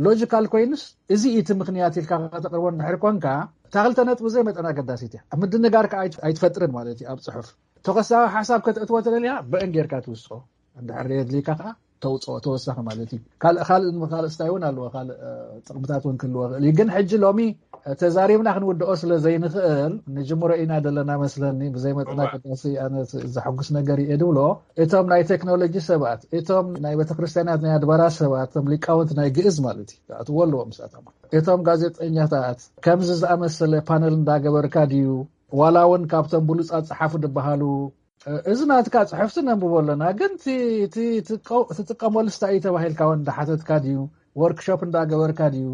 ሎጂካል ኮይኑስ፣ እዚ እቲ ምኽንያት ኢልካ ከተቕርቦ እንድሕር ኮንካ፣ እታ ክልተ ነጥቢ ዘይመጠን ኣገዳሲት እያ። ኣብ ምድንጋር ከዓ ኣይት- ኣይትፈጥርን ማለት እዩ። ኣብ ጽሑፍ ተኸሳዊ ሓሳብ ከተእትዎ ተደልያ፣ ብእን ጌርካ ትውስኦ። እንድሕር የድልይካ ከዓ ተውፅኦ፣ ተወሳኺ ማለት እዩ። ካልእ ካልእ ካልእ ስታይ እውን ኣለዎ፣ ካልእ እ፣ ጥቕምታት እውን ክህልዎ ይኽእል እዩ። ግን ሕጂ ሎሚ እ፣ ተዛሪብና ክንውድኦ ስለ ዘይንኽእል፣ ንጅምሮ ኢና ዘለና መስለኒ። ብዘይ መጠን ኣገዳሲ፣ ኣነ ዘሐጉስ ነገር እየ ድብሎ፣ እቶም ናይ ቴክኖሎጂ ሰባት፣ እቶም ናይ ቤተክርስትያናት ናይ ኣድባራት ሰባት፣ እቶም ሊቃውንት ናይ ግእዝ ማለት እዩ፣ ክኣትዎ ኣለዎ ምስኣቶም። እቶም ጋዜጠኛታት ከምዚ ዝኣመሰለ ፓነል እንዳገበርካ ድዩ፣ ዋላ እውን ካብቶም ብሉፃት ፀሓፉ ዝበሃሉ፣ እ፣ እዚ ናትካ ጽሕፍቲ ነንብቦ ኣለና፣ ግን እቲ- እቲ- እቲ ትጥቀ- ትጥቀመሉ ስታይ እዩ ተባሂልካ እውን እንዳሓተትካ ድዩ፣ ወርክሾፕ እንዳገበርካ ድዩ?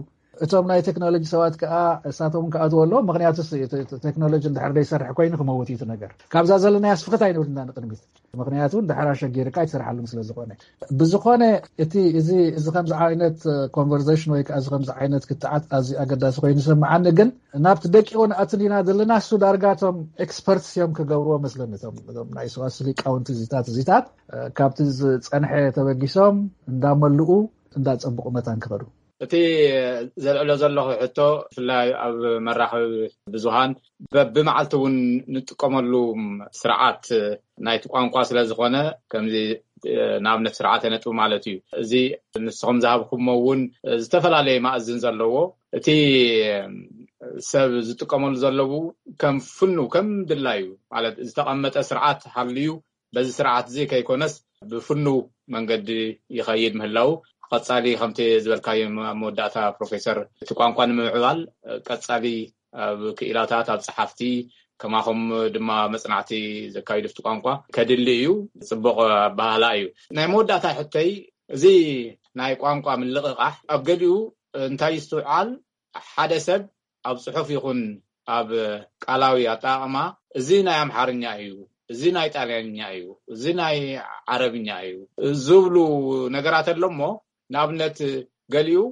እቶም ናይ ቴክኖሎጂ ሰባት ከዓ እሳቶም ክኣትዎ ኣለዎም። ምኽንያቱ ስ- እቲ- እቲ ቴክኖሎጂ እንድሕር ዘይሰርሕ ኮይኑ ክመውት እዩ እቲ ነገር። ካብዛ ዘለናያ ስፍክት ኣይንብል ኢና ንቅድሚት። ምኽንያቱ እንድሕር ኣሸጊርካ ኣይትሰርሓሉን ስለ ዝኾነ። ብዝኾነ እቲ እዚ እዚ ከምዚ ዓይነት ኮንቨርሴሽን ወይ ከዓ እዚ ከምዚ ዓይነት ክትዓት ኣዝዩ ኣገዳሲ ኮይኑ ይስምዓኒ። ግን ናብቲ ደቂቑ ንኣትን ኢና ዘለና። እሱ ዳርጋ እቶም ኤክስፐርትስ እዮም ክገብርዎ መስለኒ። እቶም እቶም ናይ ሰዋስው ሊቃውንቲ እዚታት እዚታት እ፣ ካብቲ ዝጸንሐ ተበጊሶም እንዳመልኡ እንዳጸብቑ መታን ክኸዱ። እቲ ዘልዕሎ ዘለኹ ሕቶ፣ ብፍላይ ኣብ መራኸቢ ብዙሃን በብመዓልቲ እውን ንጥቀመሉ ስርዓት ናይቲ ቋንቋ ስለ ዝኾነ፣ ከምዚ እ፣ ንኣብነት ስርዓተ ነጥቢ ማለት እዩ። እዚ ንስኹም ዝሃብኩሞ እውን ዝተፈላለየ ማእዝን ዘለዎ፣ እቲ ሰብ ዝጥቀመሉ ዘለዉ ከም ፍኑ ከም ድላዩ ማለት ዝተቐመጠ ስርዓት ሃልዩ፣ በዚ ስርዓት እዚ ከይኮነስ ብፍኑ መንገዲ ይኸይድ ምህላው፣ ቀጻሊ ከምቲ ዝበልካዮ ኣብ መወዳእታ ፕሮፌሰር፣ እቲ ቋንቋ ንምምዕባል ቀጻሊ ኣብ ክኢላታት፣ ኣብ ጸሓፍቲ፣ ከማኹም ድማ መጽናዕቲ ዘካይዱ ኣብቲ ቋንቋ ከድሊ እዩ። ጽቡቕ ኣበሃህላ እዩ። ናይ መወዳእታ ሕቶይ፣ እዚ ናይ ቋንቋ ምልቕቓሕ ኣብ ገሊኡ እንታይ ይስትውዓል? ሓደ ሰብ ኣብ ጽሑፍ ይኹን ኣብ ቃላዊ ኣጠቓቕማ፣ እዚ ናይ ኣምሓርኛ እዩ፣ እዚ ናይ ጣልያንኛ እዩ፣ እዚ ናይ ዓረብኛ እዩ ዝብሉ ነገራት ኣሎ እሞ፣ ንኣብነት ገሊኡ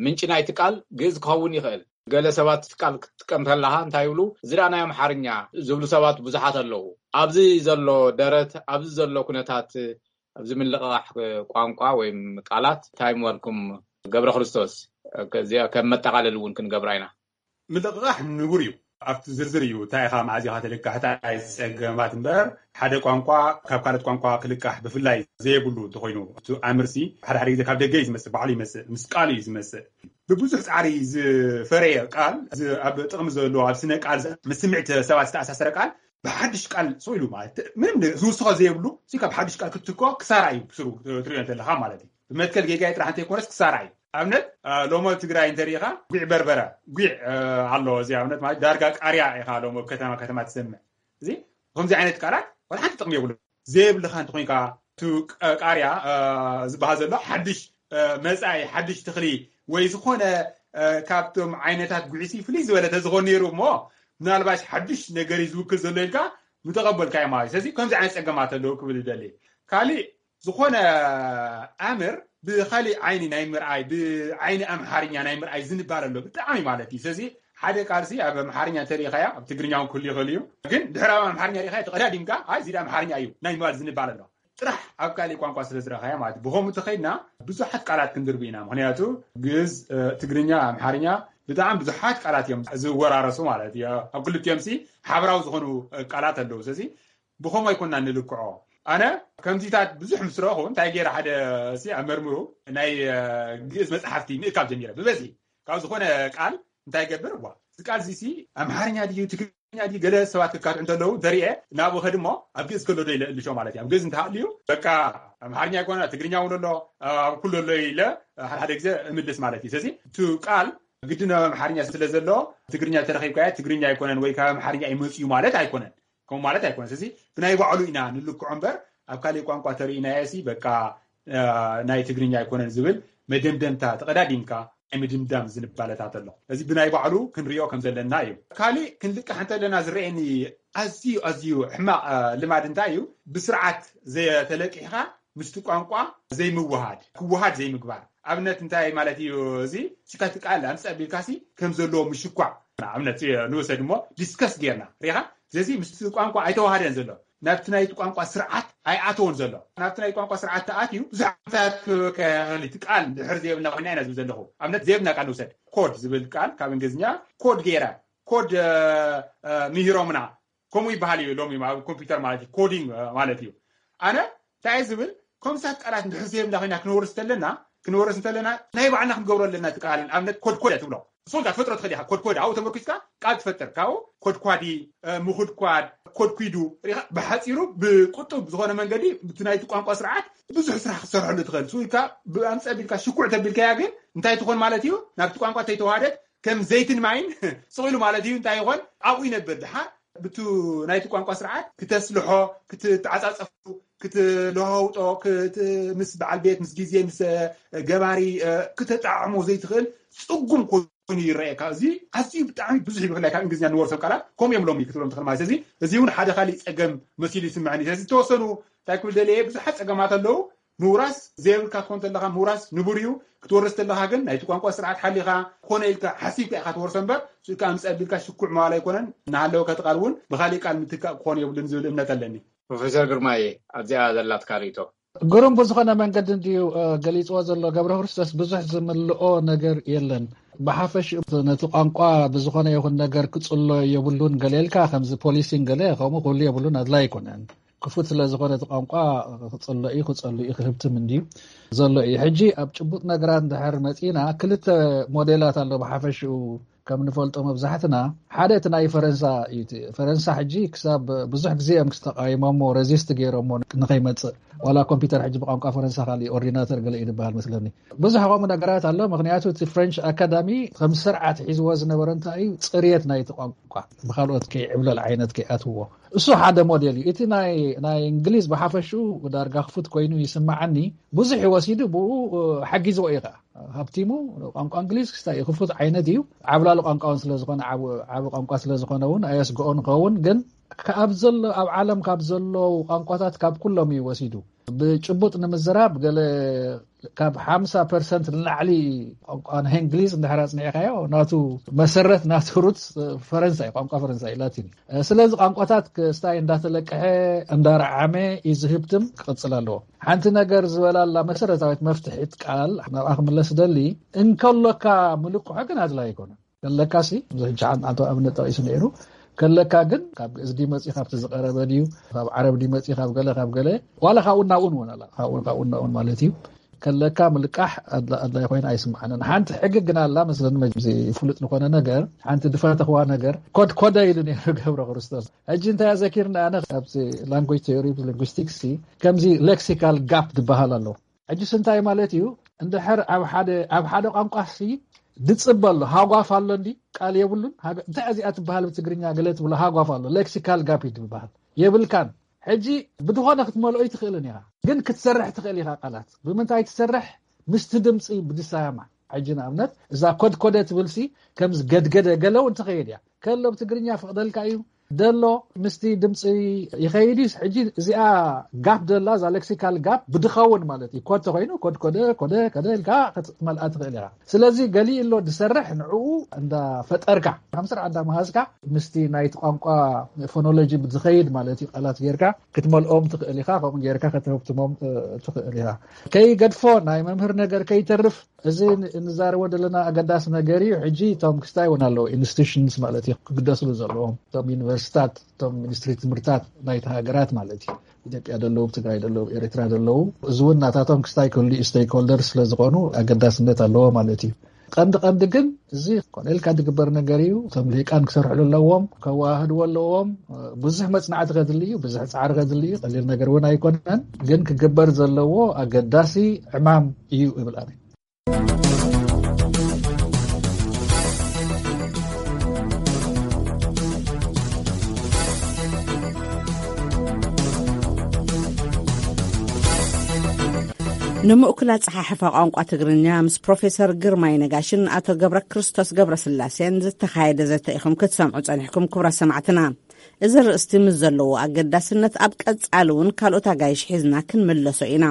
ምንጪ ናይቲ ቃል ግእዝ ክኸውን ይኽእል። ገለ ሰባት እቲ ቃል ክትጥቀም ከለኻ እንታይ ይብሉ? እዚ ደኣ ናይ ኣምሓርኛ ዝብሉ ሰባት ብዙሓት ኣለዉ። ኣብዚ ዘሎ ደረት፣ ኣብዚ ዘሎ ኩነታት፣ ኣብዚ ምልቕቓሕ ቋንቋ ወይም ቃላት እንታይ ምበልኩም? ገብረ ክርስቶስ፣ ከዚኣ ከም መጠቓለሊ እውን ክንገብራ ኢና። ምልቕቓሕ ንቡር እዩ። ኣብቲ ዝርዝር እዩ፣ እንታይ ኢኻ መዓዝ ኢኻ ትልቃሕ፣ እንታይ ጸገማት እምበር፣ ሓደ ቋንቋ ካብ ካልኦት ቋንቋ ክልቃሕ ብፍላይ ዘየብሉ እንተኾይኑ፣ እቲ ኣምርሲ ሓደ ሓደ ግዜ ካብ ደገ እዩ ዝመጽእ፣ ባዕሉ ይመጽእ፣ ምስ ቃሉ እዩ ዝመጽእ። ብብዙሕ ጻዕሪ ዝፈረየ ቃል፣ እዚ ኣብ ጥቕሚ ዘሎ፣ ኣብ ስነ ቃል ምስ ስምዒት ሰባት ዝተኣሳሰረ ቃል ብሓድሽ ቃል ስቕ ኢሉ ማለት፣ ምንም ዝውስኾ ዘየብሉ፣ እዚ ካብ ሓድሽ ቃል ክትትኮ ክሳራ እዩ ብስሩ ትሪኦ እንተለኻ ማለት እዩ። ብመትከል ጌጋይ ጥራሕ እንተይኮነስ ክሳራ እዩ። ኣብነት እ፣ ሎሞ ኣብ ትግራይ እንተሪኢኻ፣ ጒዕ በርበረ፣ ጒዕ እ፣ ኣሎ። እዚ ኣብነት ማለት ዳርጋ ቃርያ ኢኻ ሎሞ ኣብ ከተማ ከተማ ትሰምዕ። እዚ ከምዚ ዓይነት ቃላት ዋላ ሓንቲ ጥቕሚ የብሉ። ዘየብልኻ እንተኾይንካ፣ እቲ ቃ- ቃርያ እ፣ ዝበሃል ዘሎ ሓድሽ እ፣ መጻኢ ሓድሽ ተኽሊ ወይ ዝኾነ እ፣ ካብቶም ዓይነታት ጉዕሲ ፍልይ ዝበለ ተዝኾን ነይሩ እሞ፣ ምናልባሽ ሓድሽ ነገር እዩ ዝውክል ዘሎ ኢልካ ምተቐበልካዮ ማለት እዩ። ስለዚ ከምዚ ዓይነት ጸገማት ኣለዉ ክብል ይደሊ። ካሊእ፣ ዝኾነ ኣምር ብኻሊእ ዓይኒ ናይ ምርኣይ፣ ብዓይኒ ኣምሓርኛ ናይ ምርኣይ ዝንባል ኣሎ ብጣዕሚ ማለት እዩ። ስለዚ ሓደ ቃልሲ ኣብ ኣምሓርኛ እንተሪኢኻያ፣ ኣብ ትግርኛ እውን ክህሉ ይኽእል እዩ፣ ግን ድሕሪ ኣብ ኣምሓርኛ ሪኢኻያ ተቐዳዲምካ፣ ኣይ እዚ ኣምሓርኛ እዩ ናይ ምባል ዝንባል ኣሎ። ጥራሕ ኣብ ካሊእ ቋንቋ ስለ ዝረኣኻያ ማለት እዩ። ብኸምኡ ተኸይድና ብዙሓት ቃላት ክንድርቢ ኢና። ምኽንያቱ ግእዝ፣ እ፣ ትግርኛ፣ ኣምሓርኛ ብጣዕሚ ብዙሓት ቃላት እዮም ዝወራረሱ ማለት እዩ። ኣብ ክልቲኦም ሲ ሓበራዊ ዝኾኑ እ፣ ቃላት ኣለዉ። ስለዚ ብኸምኡ ኣይኮንና ንልክዖ። ኣነ ከምዚታት ብዙሕ ምስ ረኹ እንታይ ገይረ፣ ሓደ ሲ ኣመርምሩ ናይ እ፣ ግእዝ መጽሓፍቲ ምእካብ ጀሚረ ብበዝሒ። ካብ ዝኾነ ቃል እንታይ ገብር፣ ዋ፣ እዚ ቃል እዚ ሲ ኣምሓርኛ ድዩ ትግርኛ ድዩ? ገለ ሰባት ክካትዑ እንተለዉ እንተሪኤ ናብኡ ከድሞ ኣብ ግእዝ ከሎ ዶ ኢለ እልሾ ማለት እዩ። ኣብ ግእዝ እንተሃልዩ በቃ ኣምሓርኛ ኣይኮነ ትግርኛ እውን ኣሎ፣ ኣብ ኩሉ ኣሎ ኢለ ሓደ ሓደ ግዜ እምልስ ማለት እዩ። ስለዚ እቲ ቃል ግድን ኣብ ኣምሓርኛ ስለ ዘሎ ትግርኛ ተረኺብካዮ ትግርኛ ኣይኮነን ወይ ካብ ኣምሓርኛ እዩ መፅዩ ማለት ኣይኮነን። ከምኡ ማለት ኣይኮነን። ስለዚ ብናይ ባዕሉ ኢና ንልክዖ እምበር ኣብ ካሊእ ቋንቋ ተርእናዮ ሲ በቃ እ፣ ናይ ትግርኛ ኣይኮነን ዝብል መደምደምታ ተቐዳዲምካ ናይ ምድምዳም ዝንባለታት ኣሎ። እዚ ብናይ ባዕሉ ክንሪኦ ከም ዘለና እዩ። ካሊእ ክንልቃሕ እንተለና ዝረአየኒ ኣዝዩ ኣዝዩ ሕማቕ እ፣ ልማድ እንታይ እዩ? ብስርዓት ዘተለቂሕካ ምስቲ ቋንቋ ዘይምውሃድ፣ ክወሃድ ዘይምግባር። ኣብነት እንታይ ማለት እዩ? እዚ ሽካቲ ቃል ኣምፅእ ኣቢልካ ሲ ከም ዘለዎ ምሽኳዕ። ኣብነት ንወሰድ እሞ ዲስከስ ጌርና ሪኻ ስለዚ ምስቲ ቋንቋ ኣይተዋሃደን ዘሎ፣ ናብቲ ናይቲ ቋንቋ ስርዓት ኣይኣተወን ዘሎ። ናብቲ ናይ ቋንቋ ስርዓት ተኣትዩ ብዙሕ ዓመታት ክበካ ይኽእል እዩ። እቲ ቃል ድሕር ዘይብልና ኮይና ኢና ዝብል ዘለኹ። ኣብነት ዘይብልና ቃል ንውሰድ። ኮድ ዝብል ቃል ካብ እንግሊዝኛ ኮድ ገይራ፣ ኮድ እ፣ እ፣ ምሂሮምና፣ ከምኡ ይበሃል እዩ ሎሚ ኣብ ኮምፒውተር ማለት እዩ። ኮዲንግ እ፣ ማለት እዩ። ኣነ እንታይ ዝብል፣ ከምሳት ቃላት ንድሕር ዘይብልና ኮይና ክንወርስ እንተለና፣ ክንወርስ እንተለና ናይ ባዕልና ክንገብሮ ኣለና። እቲ ቃል ኣብነት ኮድኮደ ትብሎ፣ ንስኻ ትፈጥሮ ትኽእል ኢኻ። ኮድኮደ ኣብኡ ተመርኪስካ ቃል ትፈጥር። ካብኡ ኮድኳዲ እ፣ ምኹድኳድ፣ ኮድኲዱ ሪኻ፣ ብሓጺሩ ብቁጡብ ዝኾነ መንገዲ ብቲ ናይቲ ቋንቋ ስርዓት ብዙሕ ስራሕ ክትሰርሐሉ ትኽእል። ስኡ ኢልካ ብኣምፀ ቢልካ ሽኩዕ ተቢልካያ ግን እንታይ ትኾን ማለት እዩ? ናብቲ ቋንቋ ተይተዋሃደት ከም ዘይትን ማይን ስቕ ኢሉ ማለት እዩ። እንታይ ይኾን? ኣብኡ ይነብር። ድሓር ብቱ ናይቲ ቋንቋ ስርዓት ክተስልሖ፣ ክትተዓጻጸፉ፣ ክትለዋውጦ፣ ክት-፣ ምስ በዓል ቤት፣ ምስ ግዜ፣ ምስ እ፣ ገባሪ እ፣ ክተጣዕሞ ዘይትኽእል ጽጉም ኮይኑ ይረኣየካ። እዚ ኣዝዩ ብጣዕሚ ብዙሕ እዩ። ብፍላይ ካብ እንግሊዝኛ ንወርሶም ቃላት ከምኡ እዮም ሎሚ ክትብሎም ትኽእል ማለት። ስለዚ እዚ እውን ሓደ ካሊእ ጸገም መሲሉ ይስምዐኒ። ስለዚ ዝተወሰኑ እንታይ ክብል ደልየ፣ ብዙሓት ጸገማት ኣለዉ። ምውራስ ዘየብልካ ክትኮን ተለኻ ምውራስ ንቡር እዩ። ክትወርስ ተለኻ ግን ናይቲ ቋንቋ ስርዓት ሓሊኻ ኮነ ኢልካ ሓሲብካ ኢኻ ትወርሶ እምበር፣ ስኢልካ ኣምጽእ ኣቢልካ ሽኩዕ ምባል ኣይኮነን። እናሃለወ ከቲ ቃል እውን ብኻሊእ ቃል ምትካእ ክኾን የብሉን ዝብል እምነት ኣለኒ። ፕሮፌሰር ግርማዬ፣ ኣብዚኣ ዘላትካ ርእይቶ? ግሩም ብዝኾነ መንገዲ እንድዩ፣ እ፣ ገሊጽዎ ዘሎ ገብረ ክርስቶስ። ብዙሕ ዝምልኦ ነገር የለን። ብሓፈሽኡ ነቲ ቋንቋ ብዝኾነ ይኹን ነገር ክጽሎ የብሉን ገለ ኢልካ፣ ከምዚ ፖሊሲን ገለ ከምኡ ክህሉ የብሉን፣ ኣድላይ ኣይኮነን። ክፉት ስለ ዝኾነ እቲ ቋንቋ ክጽሎ እዩ፣ ክጸሉ እዩ፣ ክህብትም እንድዩ ዘሎ እዩ። ሕጂ ኣብ ጭቡጥ ነገራት እንድሕር መጺና፣ ክልተ ሞዴላት ኣሎ ብሓፈሽኡ ከም ንፈልጦ መብዛሕትና። ሓደ እቲ ናይ ፈረንሳ እዩ። እቲ ፈረንሳ ሕጂ ክሳብ ብዙሕ ግዜ እዮም ክስተቃይሞሞ፣ ረዚስት ገይሮሞ ንኸይመጽእ። ዋላ ኮምፒውተር ሕጂ ብቋንቋ ፈረንሳ ካሊእ ኦርዲናተር ገለ እዩ ዝበሃል መስለኒ። ብዙሕ ከምኡ ነገራት ኣሎ። ምኽንያቱ እቲ ፍሬንች ኣካዳሚ ከም ስርዓት ሒዝዎ ዝነበረ እንታይ እዩ? ጽርየት ናይቲ ቋንቋ፣ ብኻልኦት ከይዕብለል ዓይነት ከይኣትዎ። እሱ ሓደ ሞዴል እዩ። እቲ ናይ፣ ናይ እንግሊዝ ብሓፈሽኡ ዳርጋ ክፉት ኮይኑ ይስምዓኒ። ብዙሕ እዩ ወሲዱ፣ ብኡ፣ እ፣ ሓጊዝዎ እዩ ኸዓ። ሃብቲሙ ቋንቋ እንግሊዝ ክስታይ እዩ፣ ክፉት ዓይነት እዩ። ዓብላሊ ቋንቋ እውን ስለ ዝኾነ፣ ዓብ-፣ ዓቢ ቋንቋ ስለ ዝኾነ እውን ኣየስግኦን ይኸውን። ግን ካብ ዘሎ፣ ኣብ ዓለም ካብ ዘለዉ ቋንቋታት ካብ ኩሎም እዩ ወሲዱ። ብጭቡጥ ንምዝራብ፣ ገለ ካብ ሓምሳ ፐርሰንት ንላዕሊ ቋንቋ ናይ እንግሊዝ እንድሕር ኣጽኒዕካዮ፣ ናቱ መሰረት፣ ናቱ ሩት ፈረንሳ እዩ፣ ቋንቋ ፈረንሳ እዩ፣ ላቲን እዩ። ስለዚ ቋንቋታት ክስታይ እንዳተለቅሐ፣ እንዳረዓመ እዩ ዝህብትም፣ ክቕጽል ኣለዎ። ሓንቲ ነገር ዝበላላ መሰረታዊት መፍትሒት ቃል ናብኣ ክምለስ ደሊ፣ እንከሎካ ምልቅሖ ግን ኣድላይ ኣይኮነን። ከለካሲ፣ እዚ ሕጂ ሓን-፣ ኣቶ ኣብነት ጠቒሱ ነይሩ። ከለካ ግን ካብ ግእዝ ድዩ መጺኡ፣ ካብቲ ዝቐረበ ድዩ፣ ካብ ዓረብ ድዩ መጺኡ፣ ካብ ገለ፣ ካብ ገለ፣ ዋላ ካብኡ ናብኡን እውን ኣላ። ካብኡ፣ ካብኡ ናብኡን ማለት እዩ። ከለካ ምልቃሕ ኣድላ-፣ ኣድላይ ኮይና ኣይስምዓንን። ሓንቲ ሕጊ ግን ኣላ መስለኒ፣ መ-፣ እዚ ፍሉጥ ዝኾነ ነገር፣ ሓንቲ ድፈተኽዋ ነገር፣ ኮድ ኮደ ኢሉ ነይሩ ገብረ ክርስቶስ። ሕጂ እንታይ ኣዘኪርና፣ ኣነ ካብዚ ላንጉጅ ቴዮሪ ሊንጉስቲክስ ሲ፣ ከምዚ ሌክሲካል ጋፕ ዝበሃል ኣሎ። ሕጂስ እንታይ ማለት እዩ? እንድሕር ኣብ ሓደ፣ ኣብ ሓደ ቋንቋ ሲ ድጽበ ኣሎ፣ ሃጓፍ ኣሎ እንዲ፣ ቃል የብሉን። ሃገ-፣ እንታይ እዚኣ ትበሃል ብትግርኛ ገለ ትብሎ፣ ሃጓፍ ኣሎ፣ ሌክሲካል ጋፕ እዩ ትበሃል። የብልካን። ሕጂ ብድኾነ ክትመልኦ ይትኽእልን ኢኻ፣ ግን ክትሰርሕ ትኽእል ኢኻ ቃላት። ብምንታይ ትሰርሕ? ምስቲ ድምፂ ብድሳያማ። ሕጂ ንኣብነት እዛ ኮድኮደ ትብል ሲ ከምዚ ገድገደ ገለ እውን ትኸይድ እያ። ከሎ ብትግርኛ ፍቕደልካ እዩ ደሎ ምስቲ ድምፂ ይኸይድ እዩ። ሕጂ እዚኣ ጋፕ ደላ፣ እዛ ሌክሲካል ጋፕ ብድኸውን ማለት እዩ። ኮድ ተኾይኑ ኮድኮደ፣ ኮደ፣ ከደ ኢልካ ክትመልኣ ትኽእል ኢኻ። ስለዚ ገሊኡ ኣሎ ድሰርሕ፣ ንዕኡ እንዳፈጠርካ፣ ከም ስርዓት እንዳመሃዝካ ምስቲ ናይቲ ቋንቋ ፎኖሎጂ ብዝኸይድ ማለት እዩ፣ ቃላት ጌርካ ክትመልኦም ትኽእል ኢኻ፣ ከምኡ ጌርካ ከተህብትሞም፣ እ፣ ትኽእል ኢኻ። ከይገድፎ፣ ናይ መምህር ነገር ከይተርፍ፣ እዚ ን-፣ እንዛረቦ ዘለና ኣገዳሲ ነገር እዩ። ሕጂ እቶም ክስታይ እውን ኣለዉ፣ ኢንስቲቱሽንስ ማለት እዩ፣ ክግደስሉ ዘለዎም፣ እቶም ዩኒቨርሲታት፣ እቶም ሚኒስትሪ ትምህርታት ናይቲ ሃገራት ማለት እዩ። ኢትዮጵያ ደለዉ፣ ትግራይ ደለዉ፣ ኤርትራ ደለዉ፣ እዚ እውን ናታቶም ክስታይ ክህሉ እዩ፣ ስቴክሆልደር ስለ ዝኾኑ ኣገዳስነት ኣለዎ ማለት እዩ። ቀንዲ ቀንዲ ግን እዚ ኮነ ኢልካ ዝግበር ነገር እዩ። እቶም ልሂቃን ክሰርሕሉ ኣለዎም፣ ከወሃህድዎ ኣለዎም። ብዙሕ መጽናዕቲ ከድሊ እዩ፣ ብዙሕ ጻዕሪ ከድሊ እዩ። ቀሊል ነገር እውን ኣይኮነን፣ ግን ክግበር ዘለዎ ኣገዳሲ ዕማም እዩ እብል ኣነ። ንምእኩል ኣጸሓሕፋ ቋንቋ ትግርኛ ምስ ፕሮፌሰር ግርማይ ነጋሽን ኣቶ ገብረ ክርስቶስ ገብረ ስላሴን ዝተኻየደ ዘተ ኢኹም ክትሰምዑ ጸኒሕኩም፣ ክቡራት ሰማዕትና። እዚ ርእስቲ ምስ ዘለዎ ኣገዳስነት ኣብ ቀጻሊ እውን ካልኦት ኣጋይሽ ሒዝና ክንምለሶ ኢና።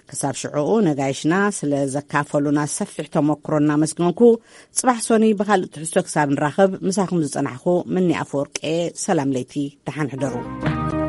ክሳብ ሽዑኡ ነጋይሽና ስለ ዘካፈሉና ሰፊሕ ተመክሮ እናመስገንኩ፣ ጽባሕ ሶኒ ብኻልእ ትሕዝቶ ክሳብ ንራኸብ ምሳኹም ዝጸናሕኩ ምኒ ኣፈወርቂ። ሰላም ለይቲ፣ ደሓን ሕደሩ።